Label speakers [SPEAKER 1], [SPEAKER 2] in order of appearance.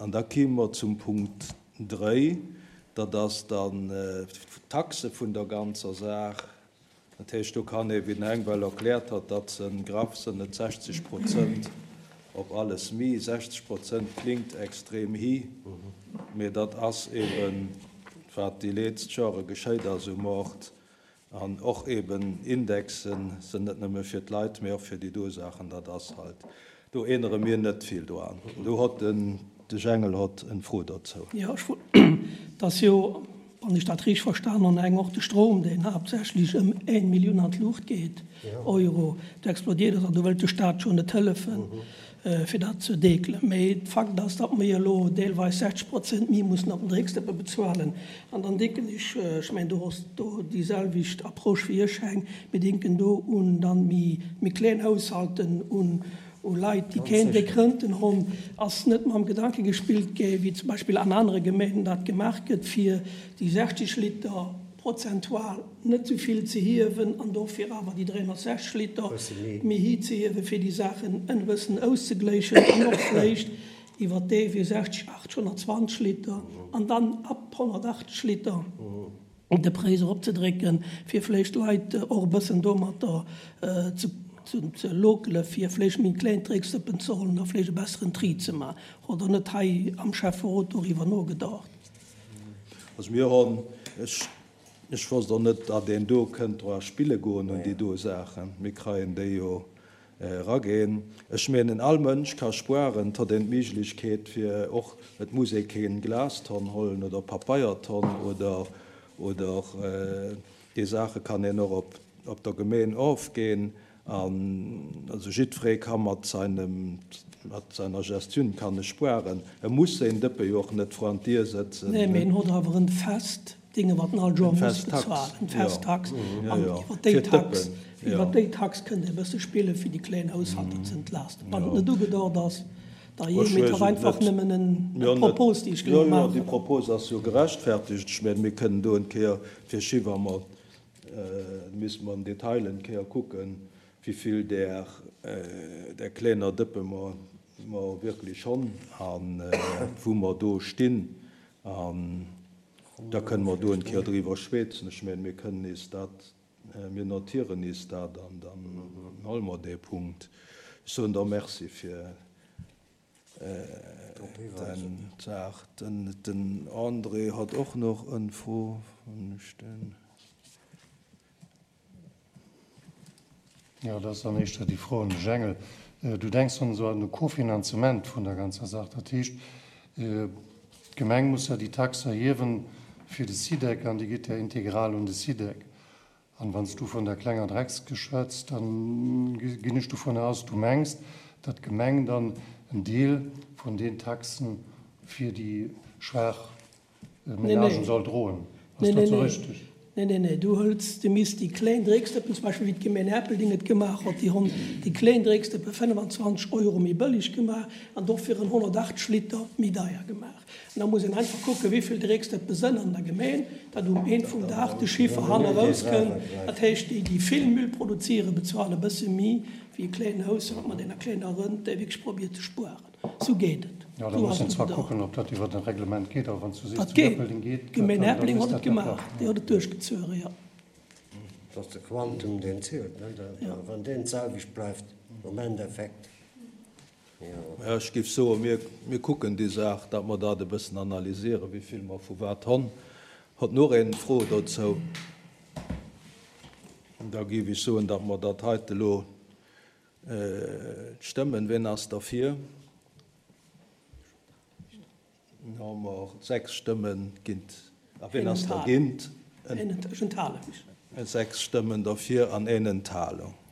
[SPEAKER 1] An da kime mer zum Punkt 3, dat ass dann d'Taxe vun der ganzer Saach. Dat heescht, do kann ee, wéi den Heng well erkläert hat, datt se graff sënn et 60 Prozent op alles mi. 60 Prozent klingt extrem hi, mee dat ass eeben, wat déi leetzt Jore geschéit ass um Ort. An och eben Indexen sënn net nëmme fir d'Leit, mee och fir déi do Saachen. Dat ass halt, do ännere mir net vill doan. Do hott den de Jengel hott en Fro dozou.
[SPEAKER 2] Jo, ech wollt, et ass jo, wann ech dat richteg verstan honn, eng och de Strom, deen haaptsächlech ëm eng Millioun an d'Luucht geet, Euro, do explodiert ass an do wëllt de Stat jo net hëllefen. fir dat ze deekelen. Mee Fakt ass, datt mir elo deelweis 60 Prozent méi mussen op den Drécksdëppe bezuelen. An dann denken ech, ech mengen, do ass do déi selwecht Approche wéi ech, Heng, mir denken do un dann méi, méi kleng Haushalten, un u Leit, déi keen déck Rënten honn. Ass net mam Gedanke gespillt gi, wéi zum Beispill an anere Gemengen dat gemaach gëtt, fir déi 60 Liter prozentual net sou vill ze hiewen an dofir awer déi 360 Liter méi hi ze hiewen, fir déi Saachen en bëssen auszegléichen an och vléicht iwwert dee Wee 60, 80, 120 Liter an dann ab 180 Liter de Präis eropzedrécken, fir vléicht d'Leit och e bëssen domatter ze lokele fir vléicht méi kleng Drécksdëppen ze hollen a vléicht e besseren Tri ze maachen. Oder net hei am Schäfferot doriwwer nogedacht?
[SPEAKER 1] Also mir honn, ech, ech wosst och net, datt een do kënnt dra spille goen un déi do Saachen. Mir kreien déi jo eraginn. Ech menen, all Mënsch ka spuaren, et hott een d'Méiglechkeet fir och, et muss ee keen Glastonn hollen oder Papeiertonn oder, oder déi Saache kann een och op, op der Gemeen ofginn. An also jiddweree ka mat seinem, mat seiner Gestioun kann e spuaren. E muss séin Dëppe jo och net vran d'Dier sëtzen.
[SPEAKER 2] Nee, mee en hott awer en fest Dinge wat en all Joer muss bezualen, en fest Tax. An iwwer déi Tax, iwwer déi Tax kënnt ee bësse spillen, fir déi kléin Haushalter ze entlasten. Wann et net ugedocht ass, da jee, mee et ass einfach nëmmen en Propos, déi ech elo maachen.
[SPEAKER 1] Jo, jo, déi Propos ass jo gerechtfertigt. Ech mengen, mir kënnen do en Kéier fir Chiffre mat Misste mer am Detail en Kéier kucken, wivill där där klenger Dëppe mer mer wierklech honn a wou mer do stinn. An da kënne mer do en Kéier driwwer schwätzen. Ech mengen, mir kënnen nees dat, mir notieren nees dat an dann huele mer dee Punkt. Ech soen der Merci fir Den Saach. Den André hat och nach en Fro, wann ech den.
[SPEAKER 3] Jo, dat ass dann éischter déi Fro un de Jengel. Du denks dann esou un de Kofinanzement vun der ganzer Saach. Dat heescht, d'Gemeng muss ja déi Tax erhiewen fir de SIDEC an déi geet ja integral un de SIDEC. An wann s du vun der klenger Dreckskëscht schwätz, dann ginn ech dovunner aus, du mengs, datt d'Gemeng dann en Deel vun den Taxen fir déi schwaach Menagen soll droen. Ass dat esou richteg?
[SPEAKER 2] Nee, nee, nee, du hëls, du misst déi kléin Drécksdëppen, zum Beispill wéi d'Gemeng Erpelding et gemaach hott, déi honn déi kléin Drécksdëppe 25 Euro méi bëlleg gemaach an dofir en 180 Liter méi deier gemaach. An da muss een einfach kucken, wéi vill Drecksdëppe sënn an der Gemeen, datt um Een vum Dag de Chiffer hanne rauskënnt. Dat heescht, déi, déi vill Müll produzieren, bezuelen e bësse méi wéi e kléinen Haushalt mat enger kleiner Rënt, dee wierklech probiert ze spueren. Sou geet et.
[SPEAKER 3] Jo, da muss een zwar kucken, ob dat iwwert e Reglement geet, awer wann s du sees,
[SPEAKER 2] Dat geet. Erpelding geet, D'Gemeen Erpelding huet et gemaach, déi huet et duerchgezuere, jo.
[SPEAKER 4] Et ass de Quantum, deen zielt, ne? Wann deen d'selwecht bleift am Endeffekt.
[SPEAKER 1] Mä ech géif soen, mir, mir kucken déi Saach, datt mer dat e bëssen analysieren, wéi vill mer vu wat honn. Hott nach een Fro dozou? Da géif ech soen, datt mer dat heite elo stëmmen. Wien ass derfir? Da hu mer 6 Stëmmen géint. A wien ass dergéint?
[SPEAKER 2] Ech enthale mech.
[SPEAKER 1] 6 Stëmmen derfir an een Enthalung.